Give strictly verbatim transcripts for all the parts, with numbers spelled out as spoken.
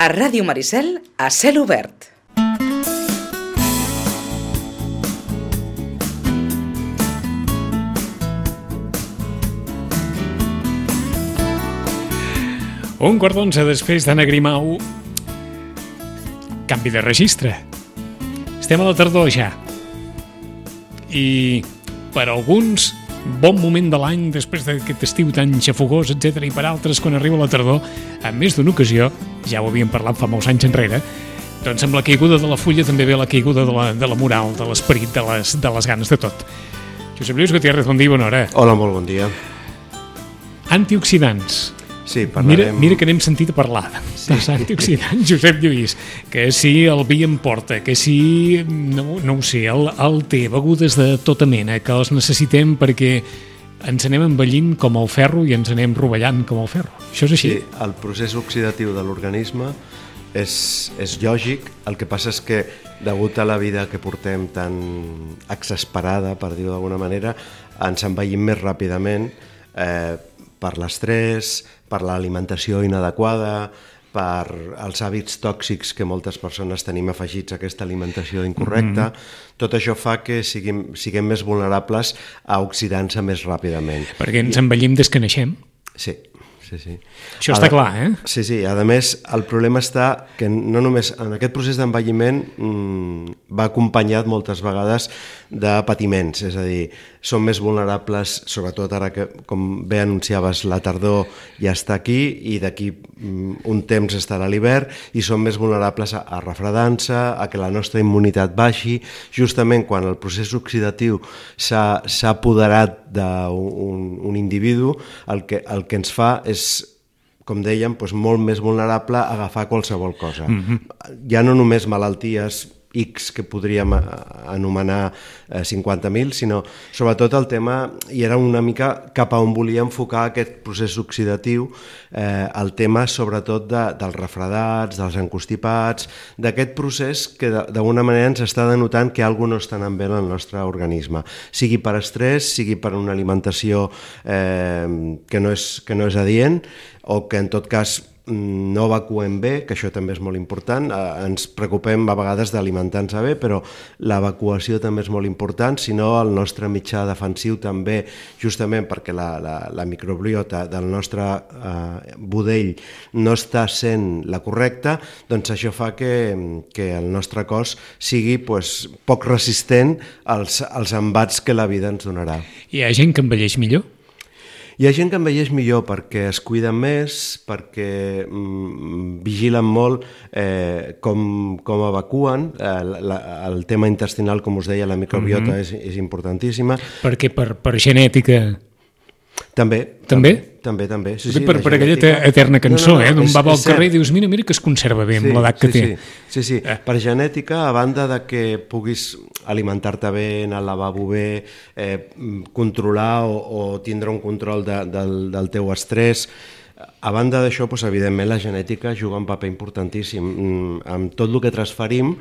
A Ràdio Maricel, a cel obert. Un quart d'onze després d'Anna Grimau. Canvi de registre. Estem a la tardor ja. I per alguns, bon moment de l'any després d'aquest estiu tan xafogós, etcètera. I per altres, quan arriba la tardor, en més d'una ocasió, ja ho havíem parlat fa molts anys enrere, doncs amb la caiguda de la fulla també ve la caiguda de la, de la moral, de l'esperit, de les, de les ganes de tot. Josep Lluís Gutiérrez, bon dia i bona hora. Hola, molt bon dia. Antioxidants. Sí, parlarem... Mira, mira que n'hem sentit a parlar sí. dels antioxidants, Josep Lluís, que si el vi em porta, que si, no, no ho sé, el, el té, begudes de tota mena, que els necessitem perquè ens anem envellint com el ferro i ens anem rovellant com el ferro. Això és així? Sí, el procés oxidatiu de l'organisme és, és lògic, el que passa és que, degut a la vida que portem tan exasperada, per dir-ho d'alguna manera, ens envellim més ràpidament, eh, per l'estrès, per l'alimentació inadequada, per els hàbits tòxics que moltes persones tenim afegits a aquesta alimentació incorrecta. Mm-hmm. Tot això fa que siguem, siguem més vulnerables a oxidar-se més ràpidament. Perquè ens envellim des que naixem? Sí. Sí, sí. Això està a, clar, eh? Sí, sí. A més, el problema està que no només en aquest procés d'envelliment mmm, va acompanyat moltes vegades de patiments, és a dir, som més vulnerables, sobretot ara que, com bé anunciaves, la tardor ja està aquí i d'aquí mm, un temps estarà l'hivern i som més vulnerables a, a refredar-se, a que la nostra immunitat baixi, justament quan el procés oxidatiu s'ha, s'ha apoderat d'un un individu, el que, el que ens fa és, com dèiem, doncs molt més vulnerable a agafar qualsevol cosa. Mm-hmm. Ja no només malalties X que podríem anomenar eh, cinquanta mil, sinó sobretot el tema, i era una mica cap a on volia enfocar aquest procés oxidatiu, eh, el tema sobretot de, dels refredats, dels encostipats, d'aquest procés que d'alguna manera ens està denotant que alguna cosa no està anant bé en el nostre organisme, sigui per estrès, sigui per una alimentació eh, que, no és, que no és adient, o que en tot cas no evacuem bé, que això també és molt important. Eh, ens preocupem a vegades d'alimentar-nos bé, però l'evacuació també és molt important, si no el nostre mitjà defensiu també, justament perquè la, la, la microbiota del nostre eh, budell no està sent la correcta, doncs això fa que, que el nostre cos sigui pues, poc resistent als, als embats que la vida ens donarà. Hi ha gent que envelleix millor? Hi ha gent que envelleix millor perquè es cuiden més, perquè mm, vigilen molt eh, com, com evacuen. Eh, la, el tema intestinal, com us deia, la microbiota mm-hmm. és, és importantíssima. Perquè per, per genètica... També. També? També, també. Sí, sí, per, per aquella eterna cançó, no, no, no, eh? D'on va al carrer i dius, mira, mira que es conserva bé amb sí, l'edat que sí, té. Sí, sí, sí. Eh. Per genètica, a banda de que puguis alimentar-te bé, anar al lavabo bé, eh, controlar o, o tindre un control de, del, del teu estrès, a banda d'això, doncs, evidentment, la genètica juga un paper importantíssim amb tot el que transferim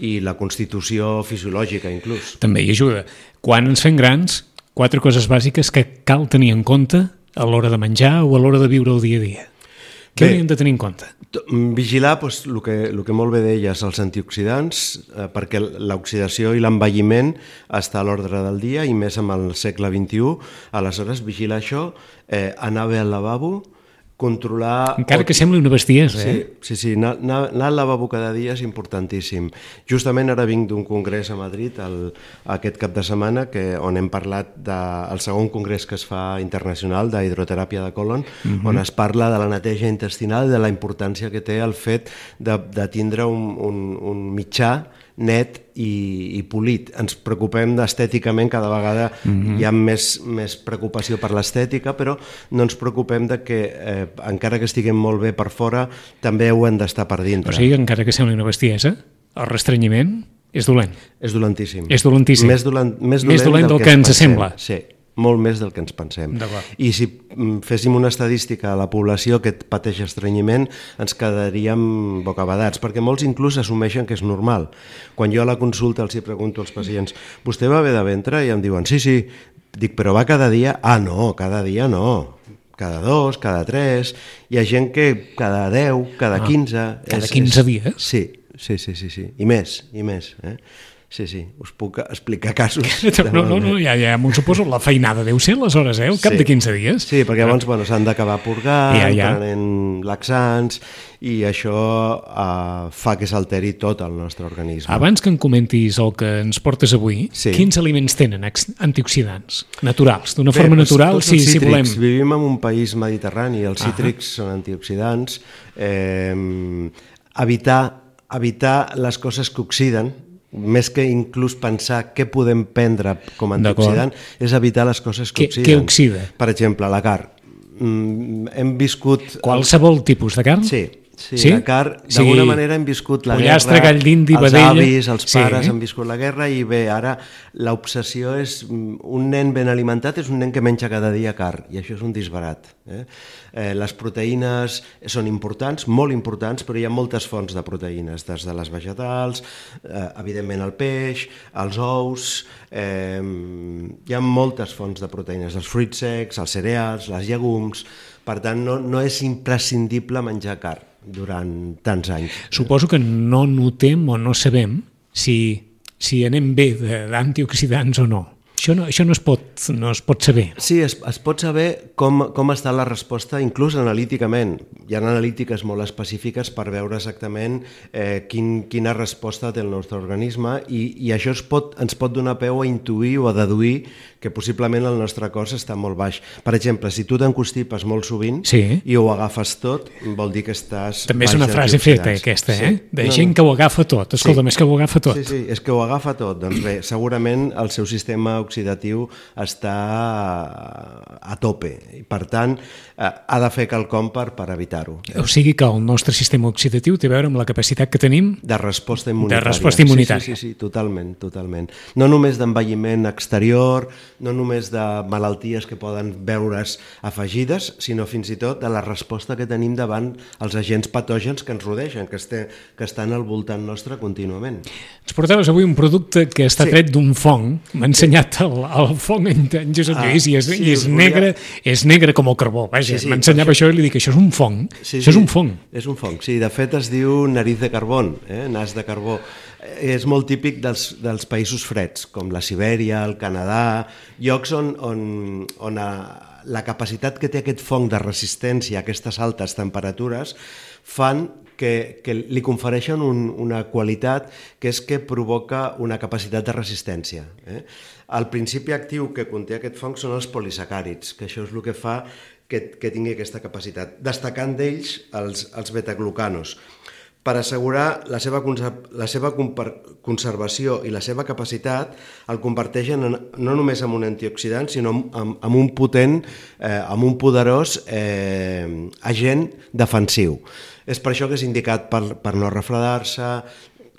i la constitució fisiològica, inclús. També hi ajuda. Quan ens fem grans, quatre coses bàsiques que cal tenir en compte a l'hora de menjar o a l'hora de viure el dia a dia. Què hauríem de tenir en compte? Vigilar doncs, el, que, el que molt bé deies, els antioxidants, eh, perquè l'oxidació i l'envelliment està a l'ordre del dia i més amb el segle vint-i-u. Aleshores, vigilar això, eh, anar bé al lavabo, controlar... Encara que sembli una bestiesa, eh? Sí, sí, sí. Anar, anar al lavabo cada dia és importantíssim. Justament ara vinc d'un congrés a Madrid el, aquest cap de setmana que, on hem parlat del segon congrés que es fa internacional d'hidroteràpia de colon, uh-huh. on es parla de la neteja intestinal i de la importància que té el fet de, de tindre un, un, un mitjà net i, i polit. Ens preocupem estèticament, cada vegada mm-hmm. hi ha més, més preocupació per l'estètica, però no ens preocupem de que, eh, encara que estiguem molt bé per fora, també ho hem d'estar per dintre. O sigui, encara que sembli una bestiesa, el restrenyiment és dolent. És dolentíssim. És dolentíssim. Més dolent, més dolent, més dolent del, del que, que ens pensem. Sembla. Sí, molt més del que ens pensem. I si féssim una estadística a la població que pateix estrenyiment, ens quedaríem bocabadats, perquè molts inclús assumeixen que és normal. Quan jo a la consulta els hi pregunto als pacients, vostè va bé de ventre? I em diuen, sí, sí. Dic, però va cada dia? Ah, no, cada dia no. cada dos, cada tres, hi ha gent que cada deu, cada quinze... Ah, cada quinze dies? Sí, sí, sí, sí, sí, i més, i més, eh? Sí, sí, us puc explicar casos... No, no, no, ja, ja m'ho suposo, la feinada deu ser aleshores, eh, al cap sí. de quinze dies. Sí, perquè llavors bueno, s'han d'acabar purgant, ja, ja. prenent laxants, i això uh, fa que s'alteri tot el nostre organisme. Abans que em comentis el que ens portes avui, sí. quins aliments tenen antioxidants naturals? D'una forma natural, tots si, els si volem... Vivim en un país mediterrani, els ah. cítrics són antioxidants. Eh, evitar, evitar les coses que oxiden, més que inclús pensar què podem prendre com a antioxidant, és evitar les coses que, que oxiden. Què oxida? Per exemple, la carn. Mm, hem viscut... Qualsevol tipus de carn? Sí. Sí, sí? la carn, d'alguna sí. manera hem viscut la Pollastre, guerra, gall d'indi, els vedella... avis, els pares sí. han viscut la guerra i bé, ara l'obsessió és un nen ben alimentat és un nen que menja cada dia carn i això és un disbarat. Eh? Eh, les proteïnes són importants, molt importants, però hi ha moltes fonts de proteïnes, des de les vegetals, eh, evidentment el peix, els ous, eh, hi ha moltes fonts de proteïnes, els fruits secs, els cereals, les llegums, per tant no, no és imprescindible menjar carn durant tants anys. Suposo que no notem o no sabem si, si anem bé d'antioxidants o no. Això no, això no, es pot, no es pot saber. Sí, es, es pot saber com, com està la resposta, inclús analíticament. Hi ha analítiques molt específiques per veure exactament eh, quin, quina resposta té el nostre organisme i, i això es pot, ens pot donar peu a intuir o a deduir que possiblement el nostre cos està molt baix. Per exemple, si tu t'encostipes molt sovint sí. i ho agafes tot, vol dir que estàs... També és una frase feta, aquesta, eh? Sí. De no, gent no. que ho agafa tot. Escolta'm, sí. és que ho agafa tot. Sí, sí, és que ho agafa tot. Doncs bé, segurament el seu sistema oxidatiu està a tope i per tant ha de fer quelcom per, per evitar-ho. O sigui que el nostre sistema oxidatiu té a veure amb la capacitat que tenim de resposta immunitària. De resposta immunitària. Sí, sí, sí, sí, totalment, totalment. No només d'envelliment exterior, no només de malalties que poden veure's afegides, sinó fins i tot de la resposta que tenim davant els agents patògens que ens rodegen, que, este, que estan al voltant nostre contínuament. Ens portaves avui un producte que està sí. tret d'un fong. M'ha ensenyat el, el fong en Josep ah, Lluís i és, sí, i és, negre, és negre com el carbó. Vaja, sí, sí, m'ensenyava això, això i li dic, això és un fong. Sí, això sí, és un fong. És un fong, sí. De fet es diu nariz de carbón, eh? nas de carbó. És molt típic dels, dels països freds, com la Sibèria, el Canadà, llocs on, on, on a, la capacitat que té aquest fong de resistència a aquestes altes temperatures fan que, que li confereixen un, una qualitat que és que provoca una capacitat de resistència. Eh? El principi actiu que conté aquest fong són els polisacàrids, que això és el que fa que, que tingui aquesta capacitat, destacant d'ells els, els betaglucanos. Per assegurar la seva, la seva conservació i la seva capacitat, el converteixen en, no només en un antioxidant, sinó en, en un potent, eh, en un poderós eh, agent defensiu. És per això que és indicat per, per no refredar-se,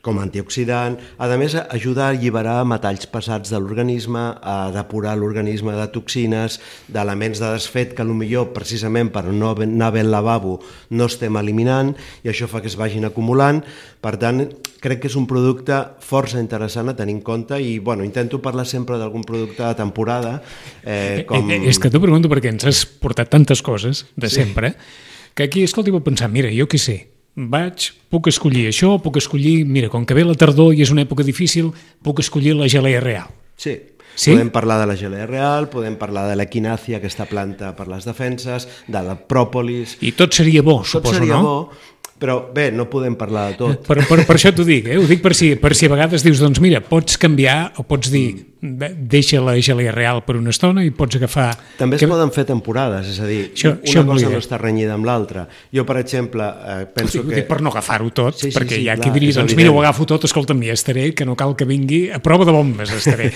com a antioxidant. A més, ajuda a alliberar metalls pesats de l'organisme, a depurar l'organisme de toxines, d'elements de desfet que potser precisament per no anar bé al lavabo no estem eliminant i això fa que es vagin acumulant. Per tant, crec que és un producte força interessant a tenir en compte i bueno, intento parlar sempre d'algun producte de temporada. Eh, com... És que t'ho pregunto perquè ens has portat tantes coses de sempre sí. que aquí, escolta, vaig pensar, mira, jo què sé, vaig, puc escollir això, puc escollir, mira, com que ve la tardor i és una època difícil, puc escollir la gelea real. Sí, sí? Podem parlar de la gelea real, podem parlar de l'equinàcia, aquesta planta per les defenses, de la pròpolis... I tot seria bo, suposo, tot seria no? Bo, però bé, no podem parlar de tot. Per, per, per això t'ho dic, eh? Ho dic per si, per si a vegades dius, doncs mira, pots canviar o pots dir, deixa la gelea real per una estona i pots agafar... També es que... poden fer temporades, és a dir, això, una això cosa no està renyida amb l'altra. Jo, per exemple, eh, penso dic, que... Per no agafar-ho tot, sí, sí, perquè sí, hi ha clar, qui diria, doncs mira, ho agafo tot, escolta'm, ja estaré, que no cal que vingui, a prova de bombes estaré.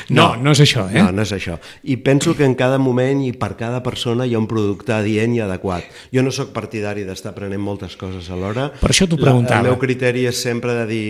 No, no, no és això, eh? No, no és això. I penso que en cada moment i per cada persona hi ha un producte adient i adequat. Jo no sóc partidari d'estar aprenent moltes coses alhora. Per això t'ho preguntava. El meu criteri és sempre de dir,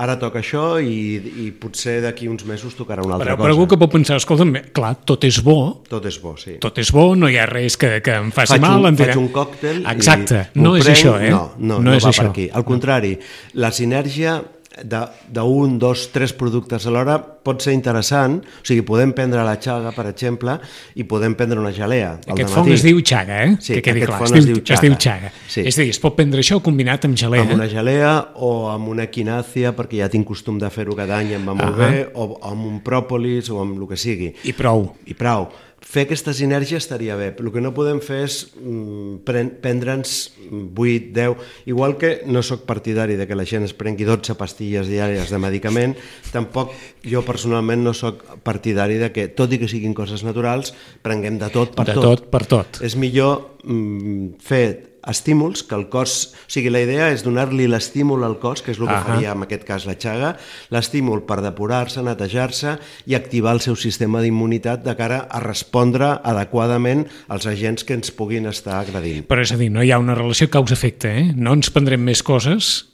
ara toca això i, i potser d'aquí uns mesos tocarà una altra però, cosa. Però algú que pot pensar, escolta'm, clar, tot és bo. Tot és bo, sí. Tot és bo, no hi ha res que, que em faci faig mal. Un, faig un còctel Exacte, i no és prenc, això, eh? No, no, no, no és va això. per aquí. Al contrari, la sinergia d'un, dos, tres productes alhora pot ser interessant, o sigui, podem prendre la xaga, per exemple, i podem prendre una gelea. Aquest fong es diu xaga, eh? Sí, que quedi aquest clar. fong es, es diu, diu xaga. Es diu xaga. Sí. És a dir, es pot prendre això combinat amb gelea. Amb una gelea o amb una equinàcia, perquè ja tinc costum de fer-ho cada any i em va molt Ah. bé, o amb un pròpolis o amb el que sigui. I prou. I prou. Fer aquesta sinergia estaria bé. El que no podem fer és mm, pren- prendre'ns vuit, deu... Igual que no sóc partidari de que la gent es prengui dotze pastilles diàries de medicament, tampoc jo personalment no sóc partidari de que, tot i que siguin coses naturals, prenguem de tot per De tot. tot per tot. És millor mm, fer estímuls, que el cos... O sigui, la idea és donar-li l'estímul al cos, que és el que Ahà. faria en aquest cas la xaga, l'estímul per depurar-se, netejar-se i activar el seu sistema d'immunitat de cara a respondre adequadament als agents que ens puguin estar agredint. Però és a dir, no hi ha una relació causa-efecte, eh? No ens prendrem més coses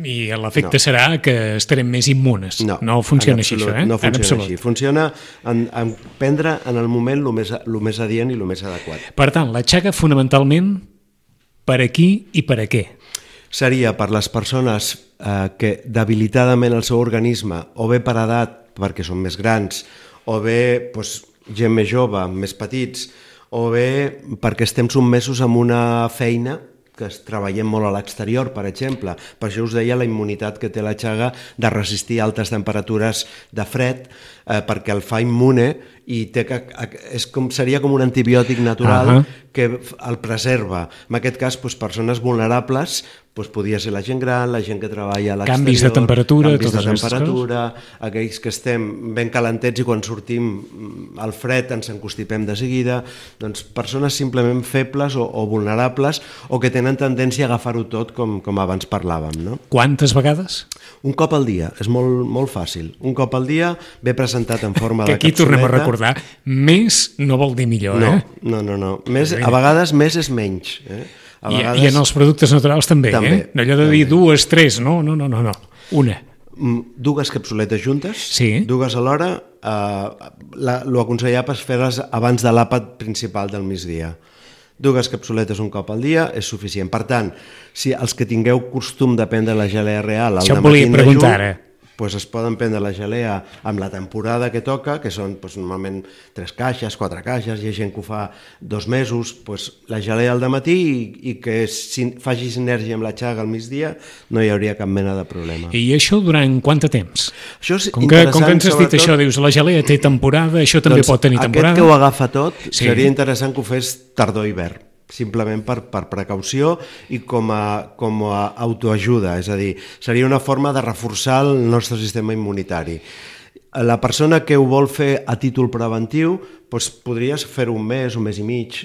i l'efecte No. serà que estarem més immunes. No, no funciona en així, absolut, això, eh? No En funciona absolut. així. Funciona en, en prendre en el moment el més, el més adient i el més adequat. Per tant, la xaga fonamentalment per a qui i per a què? Seria per les persones eh, que debilitadament el seu organisme, o bé per edat, perquè són més grans, o bé doncs, gent més jove, més petits, o bé perquè estem sotmesos a una feina que es treballem molt a l'exterior, per exemple. Per això us deia la immunitat que té la xaga de resistir altes temperatures de fred, eh, perquè el fa immune i té que, és com, seria com un antibiòtic natural Ahà. que el preserva. En aquest cas, doncs, persones vulnerables, doncs, podria ser la gent gran, la gent que treballa a l'exterior, Canvis de temperatura, canvis de totes aquestes temperatura, aquells que estem ben calentets i quan sortim al fred ens encostipem de seguida, doncs persones simplement febles o, o vulnerables o que tenen tendència a agafar-ho tot com, com abans parlàvem, no? Quantes vegades? Un cop al dia, és molt, molt fàcil. Un cop al dia, ve presentat en forma Que de aquí tornem a capsuleta. recordar, més no vol dir millor, No, eh? no, no, no. Més, a vegades més és menys. Eh? A I, vegades... I en els productes naturals també, També, eh? No allò de dir dues, tres, no, no, no, no, no. Una. Mm, dues capsuletes juntes, Sí. dues alhora, eh, la, lo aconsellable és fer-les abans de l'àpat principal del migdia. Dues capsuletes un cop al dia és suficient. Per tant, si els que tingueu costum de prendre la gelea real al Això em dematí volia en preguntar, dejú, ara. doncs es poden prendre la gelea amb la temporada que toca, que són doncs, normalment tres caixes, quatre caixes, hi ha gent que ho fa dos mesos, doncs, la gelea al dematí i, i que sin, faci sinergia amb la xaga al migdia, no hi hauria cap mena de problema. I això durant quant de temps? Això és Com que, com que ens has dit sobretot- això, dius, la gelea té temporada, això també pot tenir temporada. Aquest que ho agafa tot, Sí. seria interessant que ho fes tardor-hivern, simplement per, per precaució i com a, com a autoajuda, és a dir, seria una forma de reforçar el nostre sistema immunitari. La persona que ho vol fer a títol preventiu, doncs podries fer-ho un mes, un mes i mig,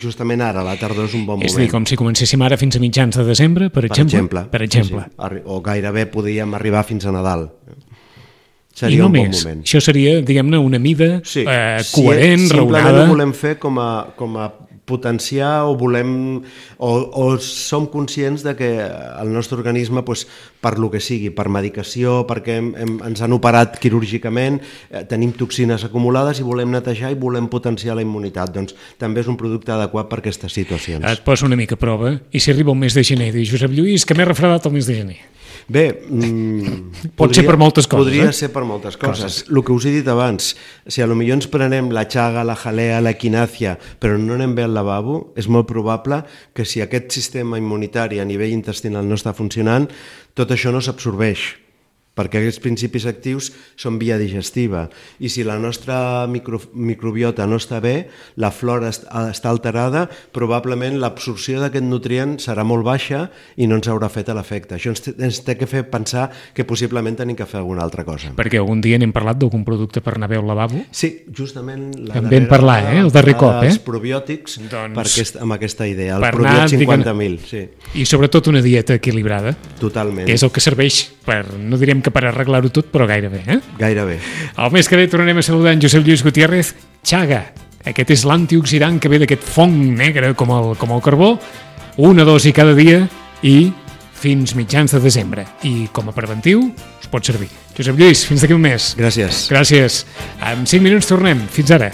justament ara, la tardor és un bon És a moment. dir, com si comencéssim ara fins a mitjans de desembre, per per exemple? exemple, Per exemple. Sí, sí. Arri- o gairebé podríem arribar fins a Nadal. I Seria un bon només. moment. Això seria, diguem-ne, una mida Sí, eh, si coherent, simplement raonada. ho volem fer com a, com a potenciar o volem o, o som conscients de que el nostre organisme doncs, per lo que sigui, per medicació, perquè hem, hem, ens han operat quirúrgicament, eh, tenim toxines acumulades i volem netejar i volem potenciar la immunitat, doncs també és un producte adequat per aquestes situacions. Et poso una mica a prova i si arriba el mes de gener i dius, Josep Lluís, que m'he refredat el mes de gener. Bé, mm, Pot ser per moltes coses, Podria eh? ser per moltes coses. El que us he dit abans, si a lo millor ens prenem la xaga, la jalea, la equinàcia, però no anem bé al lavabo, és molt probable que si aquest sistema immunitari a nivell intestinal no està funcionant, tot això no s'absorbeix, perquè aquests principis actius són via digestiva i si la nostra micro, microbiota no està bé, la flora est, està alterada, probablement l'absorció d'aquest nutrient serà molt baixa i no ens haurà fet l'efecte. Això ens, ens té que fer pensar que possiblement tenim que fer alguna altra cosa. Perquè algun dia n'hem parlat d'algun producte per anar bé al lavabo? Sí, justament la En vam darrera parlar, eh, el darrer cop, eh? Els probiòtics, Doncs, per aquest, amb aquesta idea, el per probiot anar, cinquanta mil, sí, I sobretot una dieta equilibrada, totalment, que és el que serveix per, no direm que per arreglar-ho tot, però gairebé, eh? gairebé. El mes que ve tornarem a saludar en Josep Lluís Gutiérrez. Xaga, aquest és l'antioxidant que ve d'aquest fong negre com el, com el carbó, una dosi cada dia i fins mitjans de desembre. I com a preventiu us pot servir. Josep Lluís, fins d'aquí un mes. Gràcies. Gràcies. En cinc minuts tornem. Fins ara.